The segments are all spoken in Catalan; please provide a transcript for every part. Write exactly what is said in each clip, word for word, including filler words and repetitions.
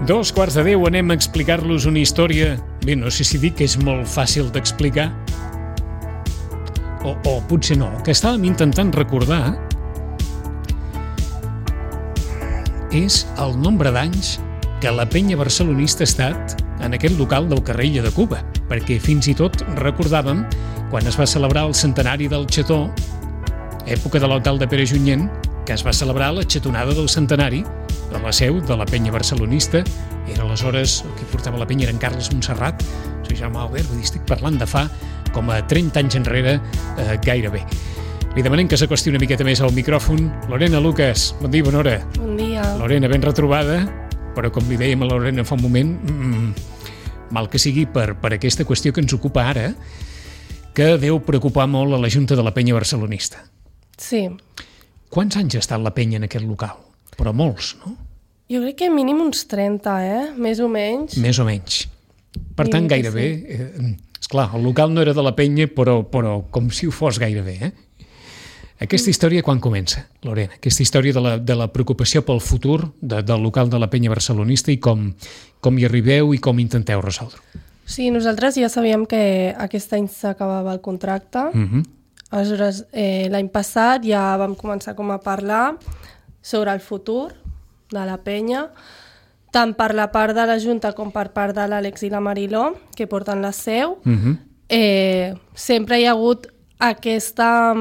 Dos quarts de deu, anem a explicar-los una història. Bé, no sé si dic que és molt fàcil d'explicar. O, o potser no, que estàvem intentant recordar és el nombre d'anys que la penya barcelonista ha estat en aquest local del carrer Illa de Cuba, perquè fins i tot recordàvem quan es va celebrar el centenari del Xató, època de l'alcalde Pere Junyent, que es va celebrar la xatonada del centenari de la seu de la penya barcelonista. Era aleshores, el que portava la penya era en Carles Montserrat, soy Jaume Albert, vull dir, estic parlant de fa com a trenta anys enrere, eh, gairebé. Li demanem que s'acosti una miqueta més al micròfon. Lorena Lucas, bon dia, bona hora. Bon dia. Lorena, ben retrobada, però com li dèiem a la Lorena fa un moment, mmm, mal que sigui per, per aquesta qüestió que ens ocupa ara, que deu preocupar molt a la Junta de la Penya Barcelonista. Sí. Quants anys ha estat la penya en aquest local? Però molts, no? Jo crec que mínim uns trenta, eh? Més o menys. Més o menys. Per tant, gairebé... Sí. Eh, esclar, el local no era de la penya, però, però com si ho fos gairebé, eh? Aquesta història quan comença, Lorena? Aquesta història de la, de la preocupació pel futur de, del local de la penya barcelonista i com, com hi arribeu i com intenteu resoldre. Sí, nosaltres ja sabíem que aquest any s'acabava el contracte. Mhm. Aleshores, eh, l'any passat ja vam començar com a parlar sobre el futur de la penya, tant per la part de la Junta com per part de l'Àlex i la Mariló, que porten la seu. Mhm. eh, sempre hi ha hagut aquesta,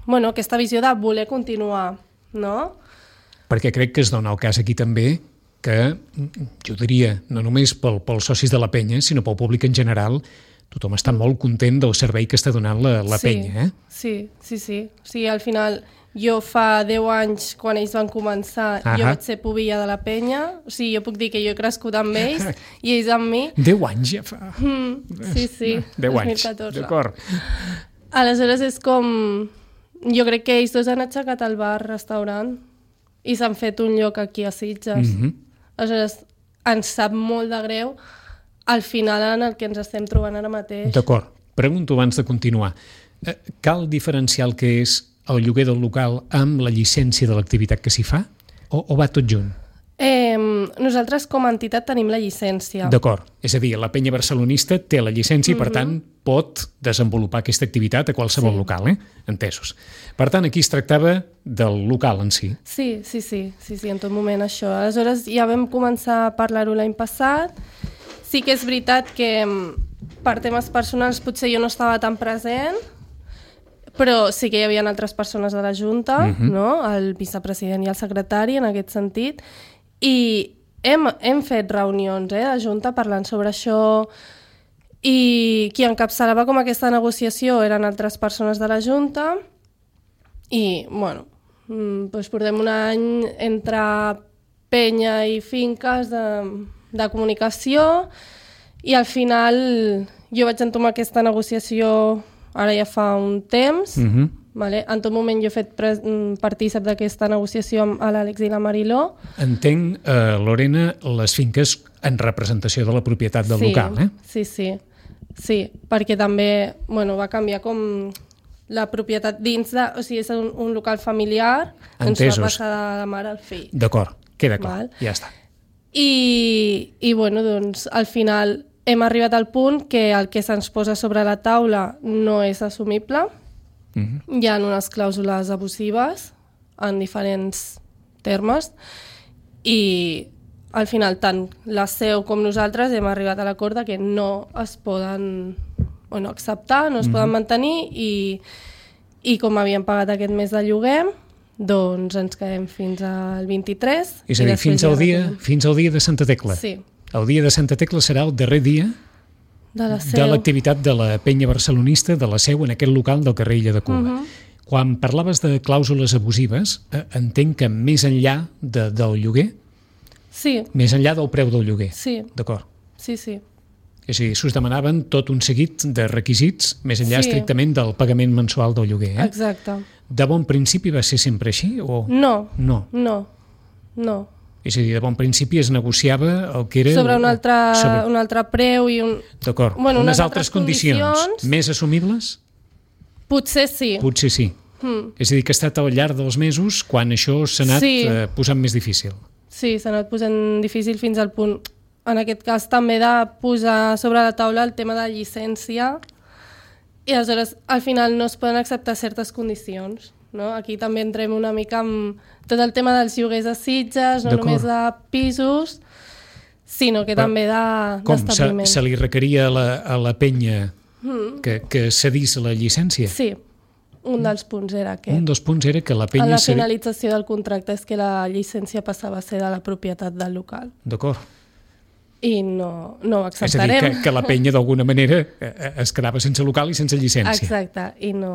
bueno, aquesta visió de voler continuar, no? Perquè crec que es dona el cas aquí també que, jo diria, no només pel, pels socis de la penya, sinó pel públic en general, tothom està molt content del servei que està donant la, la sí, penya, eh? Sí, sí, sí. O sigui, al final, jo fa deu anys, quan ells van començar, Ahà. jo vaig ser pubilla de la penya. O sigui, jo puc dir que jo he crescut amb ells i ells amb mi. Deu anys ja fa. Mm, sí, sí. Deu anys, dos mil catorze. d'acord. Aleshores és com... Jo crec que ells dos han aixecat el bar-restaurant i s'han fet un lloc aquí a Sitges. Mhm. Aleshores, ens sap molt de greu al final en el que ens estem trobant ara mateix. D'acord. Pregunto abans de continuar. Eh, cal diferenciar el que és el lloguer del local amb la llicència de l'activitat que s'hi fa? O, o va tot junt? Eh, nosaltres com a entitat tenim la llicència. D'acord. És a dir, la penya barcelonista té la llicència i, per Mhm. tant, pot desenvolupar aquesta activitat a qualsevol Sí. local, eh? Entesos. Per tant, aquí es tractava del local en si. Sí, sí, sí, sí, sí, en tot moment això. Aleshores ja vam començar a parlar-ho l'any passat. Sí que és veritat que per temes personals potser jo no estava tan present, però sí que hi havia altres persones de la Junta, Mhm. no? El vicepresident i el secretari en aquest sentit, i hem, hem fet reunions eh, de Junta parlant sobre això, i qui encapçalava com aquesta negociació eren altres persones de la Junta, i, bueno, mm, doncs portem un any entre penya i finques de, de comunicació, i al final jo vaig entomar aquesta negociació ara ja fa un temps. Mhm. Vale? En tot moment jo he fet pres- mm, partícip d'aquesta negociació amb l'Àlex i la Mariló. Entenc, eh, Lorena, les finques en representació de la propietat del sí, local, eh? Sí, sí, sí, perquè també bueno, va canviar com la propietat dins de... O sigui, és un, un local familiar, ens Entesos. va passar de la mare al fill. D'acord, queda clar, Val. ja està. I, i bueno, doncs, al final hem arribat al punt que el que se'ns posa sobre la taula no és assumible. Mhm. Hi ha unes clàusules abusives en diferents termes i al final tant la seu com nosaltres hem arribat a l'acord de que no es poden bueno, acceptar, no es poden mantenir i, i com havíem pagat aquest mes de lloguer, doncs ens quedem fins al vint-i-tres. És a i dir, després fins ja al, dia, retornem. fins al dia de Santa Tecla. Sí, El dia de Santa Tecla serà el darrer dia de la de seu. l'activitat de la penya barcelonista, de la seu en aquest local del carrer Illa de Cuba. Mhm. Quan parlaves de clàusules abusives, eh, entenc que més enllà de, del lloguer, Sí, més enllà del preu del lloguer, sí, d'acord? sí, sí. És a dir, s'us demanaven tot un seguit de requisits, més enllà Sí. estrictament del pagament mensual del lloguer. Eh? Exacte. De bon principi va ser sempre així? O... No, No. no, no. És a dir, de bon principi es negociava el que era... Sobre un altre, sobre- un altre preu i un... D'acord. Bueno, unes unes altres altres condicions, condicions. més assumibles? Potser sí. Potser sí. Mm. És a dir, que ha estat al llarg dels mesos quan això s'ha anat Sí. eh, posant més difícil. Sí, s'ha anat posant difícil fins al punt, en aquest cas també de posar sobre la taula el tema de llicència i aleshores al final no es poden acceptar certes condicions. No? Aquí també entrem una mica amb tot el tema dels lloguers de Sitges, no només de pisos, sinó que Però, també d'establiments. Com? Se, se li requeria a la, a la penya mm. que, que cedís la llicència? Sí, un dels punts era aquest. Un dels punts era que la penya... A la finalització del contracte és que la llicència passava a ser de la propietat del local. D'acord. I no, no ho acceptarem. És a dir, que, que la penya d'alguna manera es quedava sense local i sense llicència. Exacte, i no...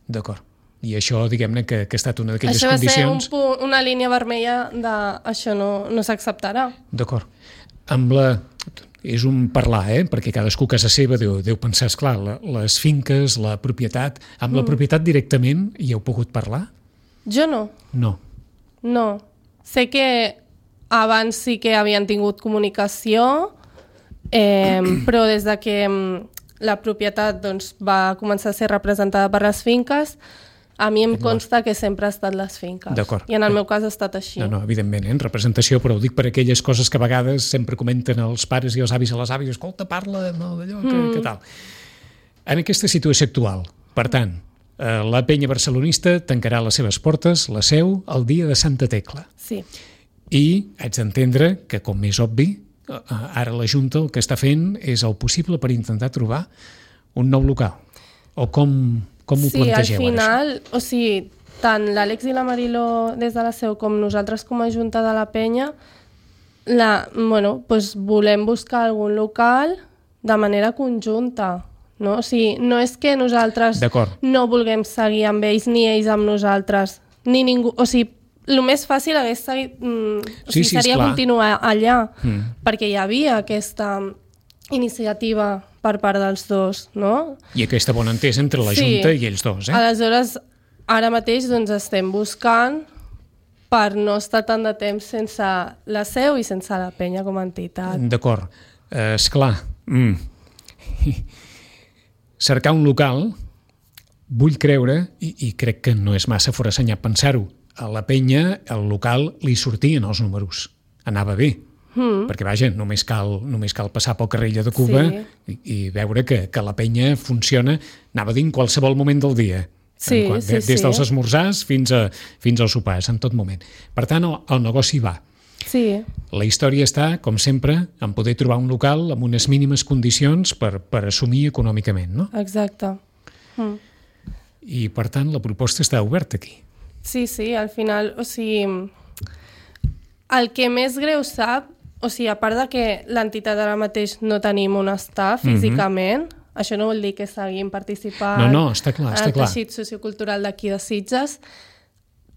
D'acord. I això, diguem-ne, que, que ha estat una d'aquelles condicions... Això va ser un punt, una línia vermella de això no, no s'acceptarà. D'acord. Amb la... És un parlar, eh? Perquè cadascú a casa seva deu, deu pensar, esclar, la, les finques, la propietat... Amb mm. la propietat directament hi heu pogut parlar? Jo no. No. No. Sé que abans sí que havien tingut comunicació, eh, però des de que la propietat doncs, va començar a ser representada per les finques, a mi em consta que sempre ha estat les finques. I en el meu cas ha estat així. No, no, evidentment, eh? En representació, però ho dic per aquelles coses que a vegades sempre comenten els pares i els avis a les àvies, escolta, parla no, d'allò, que, mm. que tal. En aquesta situació actual, per tant, eh, la penya barcelonista tancarà les seves portes, la seu, el dia de Santa Tecla. Sí. I haig d'entendre que, com és obvi, ara la Junta el que està fent és el possible per intentar trobar un nou local. O com... Com ho sí, plantegeu, al final, ara, o sigui, tant l'Àlex i la Mariló des de la seu com nosaltres com a Junta de la Penya, la, bueno, doncs volem buscar algun local de manera conjunta. No? O sigui, no és que nosaltres no vulguem seguir amb ells ni ells amb nosaltres, ni ningú... O sigui, el més fàcil hagués seguit, mm, o sigui, sí, sí, seria continuar allà, mm. perquè hi havia aquesta iniciativa per part dels dos, no? I aquesta bona entesa entre la sí. Junta i ells dos, eh? Aleshores, ara mateix doncs, estem buscant per no estar tant de temps sense la seu i sense la penya com a entitat. D'acord. Eh, esclar, mm. cercar un local, vull creure, i, i crec que no és massa forassenyat pensar-ho, a la penya el local li sortien els números. Anava bé. Mm. Perquè, vaja, només cal, només cal passar pel carrer de Cuba sí. i, i veure que, que la penya funciona, anava a dir, en qualsevol moment del dia. Sí, en, sí, des dels sí. esmorzars fins, a, fins als sopars, en tot moment. Per tant, el, el negoci va. Sí. La història està, com sempre, en poder trobar un local amb unes mínimes condicions per, per assumir econòmicament, no? Exacte. Mm. I, per tant, la proposta està oberta aquí. Sí, sí, al final, o sigui, el que més greu sap, o sigui, a part de que l'entitat ara mateix no tenim on estar físicament, mm-hmm. això no vol dir que seguim participant no, no, està clar, està en el teixit clar. sociocultural d'aquí de Sitges,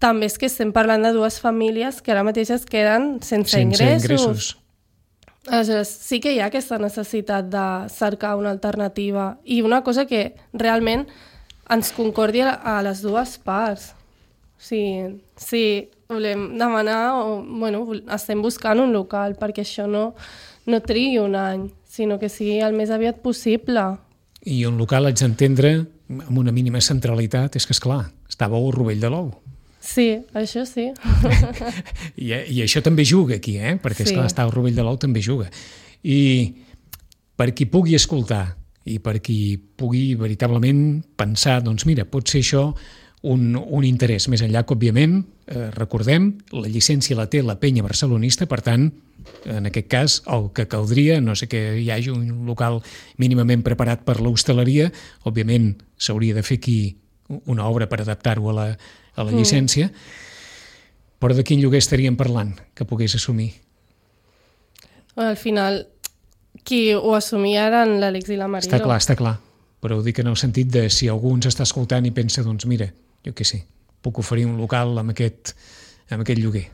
també és que estem parlant de dues famílies que ara mateix es queden sense, sense ingressos. ingressos. Aleshores, sí que hi ha aquesta necessitat de cercar una alternativa i una cosa que realment ens concordi a les dues parts. Sí, sí, volem demanar, o, bueno, estem buscant un local perquè això no, no trigui un any, sinó que sigui el més aviat possible. I un local, haig d'entendre, amb una mínima centralitat, és que, esclar, estàveu al Rovell de l'Ou. Sí, això sí. I, I això també juga aquí, eh? Perquè, esclar, sí. estar al Rovell de l'Ou també juga. I per qui pugui escoltar i per qui pugui veritablement pensar, doncs mira, pot ser això Un, un interès, més enllà que, òbviament, eh, recordem, la llicència la té la penya barcelonista, per tant, en aquest cas, el que caldria, no sé que hi hagi un local mínimament preparat per l'hostaleria, òbviament s'hauria de fer aquí una obra per adaptar-ho a la, a la mm. llicència, però de quin lloguer estaríem parlant que pogués assumir? Al final, qui ho assumia eren l'Àlex i la Mariló. Està clar, està clar, però ho dic en el sentit de si algú ens està escoltant i pensa, doncs mira, jo què sé, puc oferir un local amb aquest, amb aquest lloguer.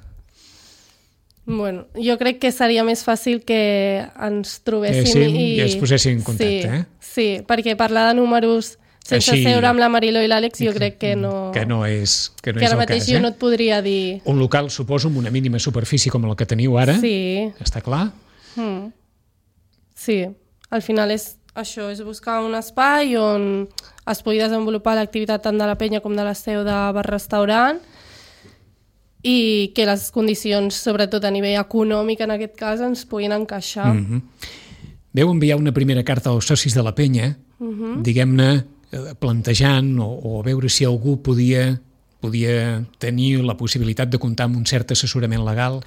Bueno, jo crec que seria més fàcil que ens trobéssim eh, sí, i... i ens poséssim en contacte, sí, eh? Sí, perquè parlar de números sense Així... seure amb la Mariló i l'Àlex jo crec que no... Que no és, que no que és ara el mateix cas, jo eh? no et podria dir... Un local, suposo, amb una mínima superfície com la que teniu ara, sí. Està clar? Mm. Sí, al final és això, és buscar un espai on es pugui desenvolupar l'activitat tant de la penya com de la seu de bar-restaurant i que les condicions, sobretot a nivell econòmic en aquest cas, ens puguin encaixar. Mm-hmm. Veu enviar una primera carta als socis de la penya, mm-hmm. diguem-ne, plantejant o, o veure si algú podia, podia tenir la possibilitat de comptar amb un cert assessorament legal,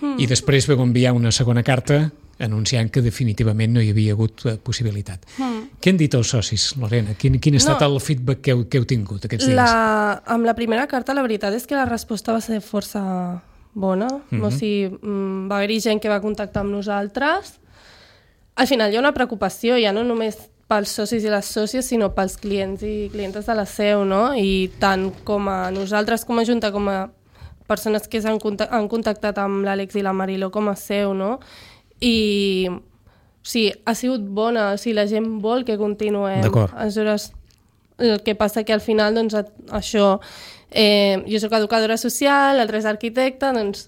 mm. i després veu enviar una segona carta anunciant que definitivament no hi havia hagut possibilitat. Mm. Què han dit els socis, Lorena? Quin, quin ha estat no, el feedback que heu, que heu tingut aquests dies? La, amb la primera carta la veritat és que la resposta va ser força bona. Mm-hmm. O sigui, va haver-hi gent que va contactar amb nosaltres. Al final hi ha una preocupació, ja no només pels socis i les sòcies, sinó pels clients i clientes de la seu, no? I tant com a nosaltres com a Junta, com a persones que han contactat amb l'Àlex i la Mariló com a seu, no? I sí, ha sigut bona, o sigui, la gent vol que continuem. Aleshores, el que passa que al final, doncs, això, eh, jo soc educadora social, l'altre és arquitecte, doncs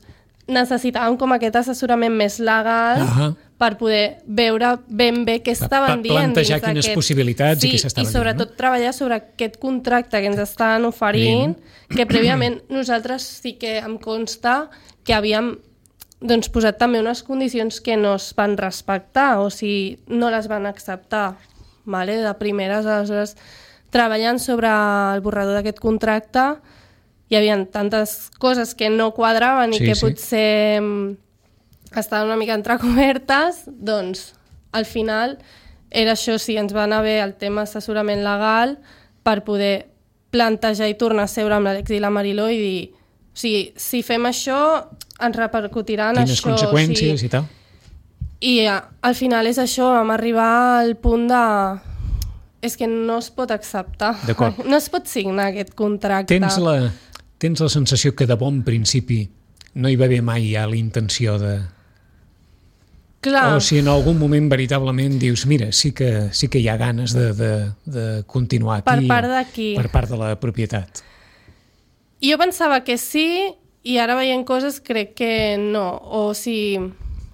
necessitàvem com aquest assessorament més legal uh-huh. per poder veure ben bé què estaven dient. Plantejar quines aquest... possibilitats sí, i què s'estaven dient. I sobretot dient, no? treballar sobre aquest contracte que ens estan oferint, Bien. que prèviament nosaltres sí que em consta que havíem doncs, posat també unes condicions que no es van respectar, o sigui, no les van acceptar, vale? De primeres. Aleshores, treballant sobre el borrador d'aquest contracte, hi havia tantes coses que no quadraven i sí, que sí. potser estaven una mica entrecobertes, doncs, al final, era això, sí, ens va anar bé el tema assessorament legal per poder plantejar i tornar a seure amb l'Àlex i la Mariló i dir, o sigui, si fem això, ens repercutirà en Quines això. Quines conseqüències o sigui, i tal. I ja, al final és això, vam arribar al punt de... És que no es pot acceptar. D'acord. No es pot signar aquest contracte. Tens la, tens la sensació que de bon principi no hi va haver mai ja la intenció de... Clar. O si en algun moment veritablement dius, mira, sí que, sí que hi ha ganes de, de, de continuar aquí. Per part d'aquí. Per part de la propietat. Jo pensava que sí, i ara veient coses crec que no. O si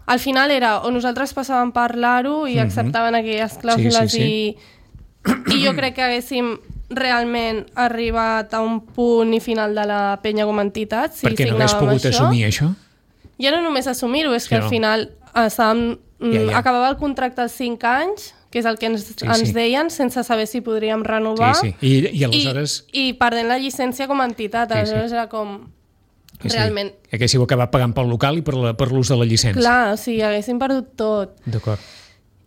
al final era o nosaltres passàvem a parlar-ho i uh-huh. acceptaven aquelles clàusules sí, sí, sí. I, i jo crec que haguéssim realment arribat a un punt i final de la penya com a entitat si perquè no hagués pogut això. assumir això? Ja no només assumir-ho, és que sí, al no. final estàvem, ja, ja. acabava el contracte als cinc anys, que és el que ens, sí, ens sí. deien, sense saber si podríem renovar. Sí, sí. I, i aleshores... I, i perdent la llicència com a entitat. Sí, aleshores sí. era com... Sí, realment... Sí. Haguéssiu acabat pagant pel local i per, la, per l'ús de la llicència. Clar, o sigui, haguéssim perdut tot. D'acord.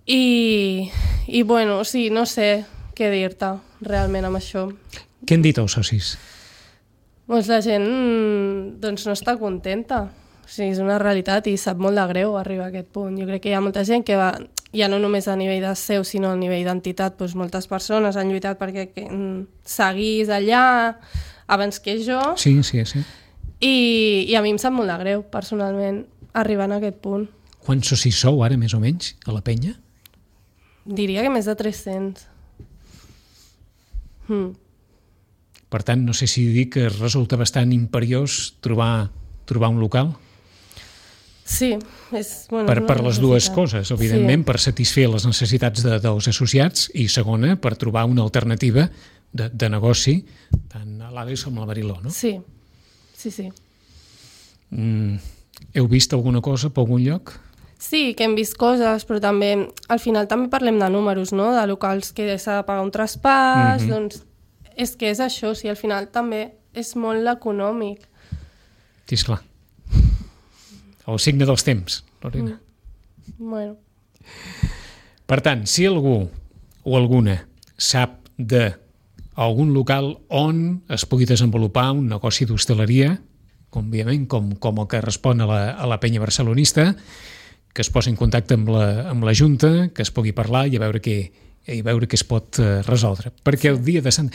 I, I, bueno, sí, no sé què dir-te realment amb això. Què han dit els socis? Doncs la gent doncs, no està contenta. O sigui, és una realitat i sap molt de greu arribar a aquest punt. Jo crec que hi ha molta gent que va, ja no només a nivell de seu, sinó a nivell d'entitat, doncs moltes persones han lluitat perquè que, seguís allà abans que jo. Sí, sí, sí. I, i a mi em sap molt de greu, personalment, arribant a aquest punt. Quants socis sou ara, més o menys, a la penya? Diria que més de tres-cents. Hmm. Per tant, no sé si dir que resulta bastant imperiós trobar, trobar un local? Sí. És, bueno, per, és per les dues coses, evidentment, sí. Per satisfer les necessitats de, dels associats i, segona, per trobar una alternativa de, de negoci tant a l'Àlex com a la Mariló, no? Sí, sí, sí. Mm, heu vist alguna cosa per algun lloc? Sí, que hem vist coses, però també, al final també parlem de números, no? De locals que s'ha de pagar un traspàs, mm-hmm. doncs és que és això, sí, al final també és molt econòmic. Sí, esclar. El signe dels temps, Lorena. Mm. Bueno. Per tant, si algú o alguna sap d'algun local on es pugui desenvolupar un negoci d'hostaleria, com, òbviament, com, com el que respon a la, a la penya barcelonista, que es posi en contacte amb la, amb la Junta, que es pugui parlar i a veure què, i veure què es pot uh, resoldre. Perquè el dia de Sant...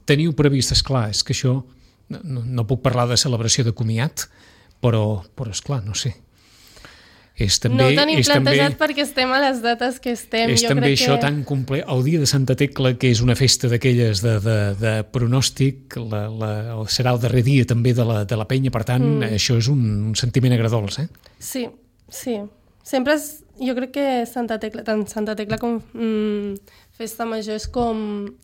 Teniu previst, esclar, és que això... No, no puc parlar de celebració de comiat, però, però esclar, no sé. És també, no ho tenim és plantejat també, perquè estem a les dates que estem. És jo també crec això que... tan complet. El dia de Santa Tecla, que és una festa d'aquelles de, de, de pronòstic, la, la, serà el darrer dia també de la, de la penya, per tant, mm. això és un, un sentiment agradolç, eh? Sí, sí. Sempre és, jo crec que Santa Tecla, tant Santa Tecla com mm, Festa Major és com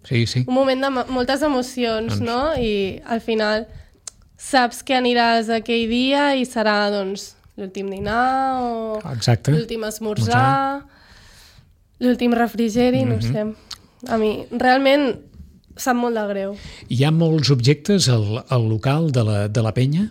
sí, sí. un moment de moltes emocions, doncs... no? I al final saps que aniràs aquell dia i serà, doncs, l'últim dinar o Exacte. l'últim esmorzar, l'últim refrigeri, mm-hmm. no sé. A mi, realment, sap molt de greu. Hi ha molts objectes al, al local de la, de la penya?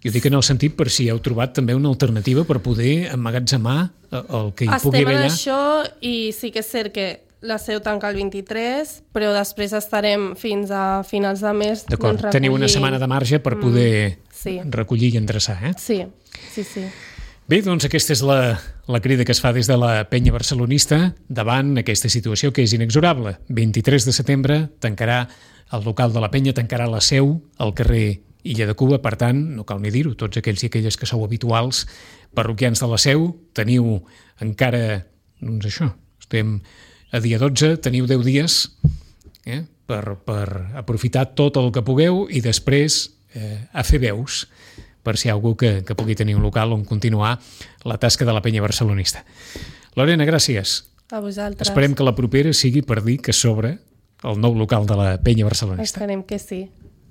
Jo dic en el sentit per si heu trobat també una alternativa per poder emmagatzemar el que hi Estem pugui haver allà. Estem en això i sí que és cert que la seu tanca el vint-i-tres, però després estarem fins a finals de mes. D'acord, doncs, teniu una setmana de marge per poder mm, sí. recollir i endreçar, eh? Sí, sí, sí. Bé, doncs aquesta és la, la crida que es fa des de la penya barcelonista davant aquesta situació que és inexorable. vint-i-tres de setembre tancarà el local de la penya, tancarà la seu al carrer Illa de Cuba, per tant, no cal ni dir-ho, tots aquells i aquelles que sou habituals parroquians de la seu, teniu encara, doncs això, estem a dia dotze, teniu deu dies eh, per, per aprofitar tot el que pugueu i després eh, a fer veus per si hi ha algú que, que pugui tenir un local on continuar la tasca de la penya barcelonista. Lorena, gràcies. A vosaltres. Esperem que la propera sigui per dir que s'obre el nou local de la penya barcelonista. Esperem que sí.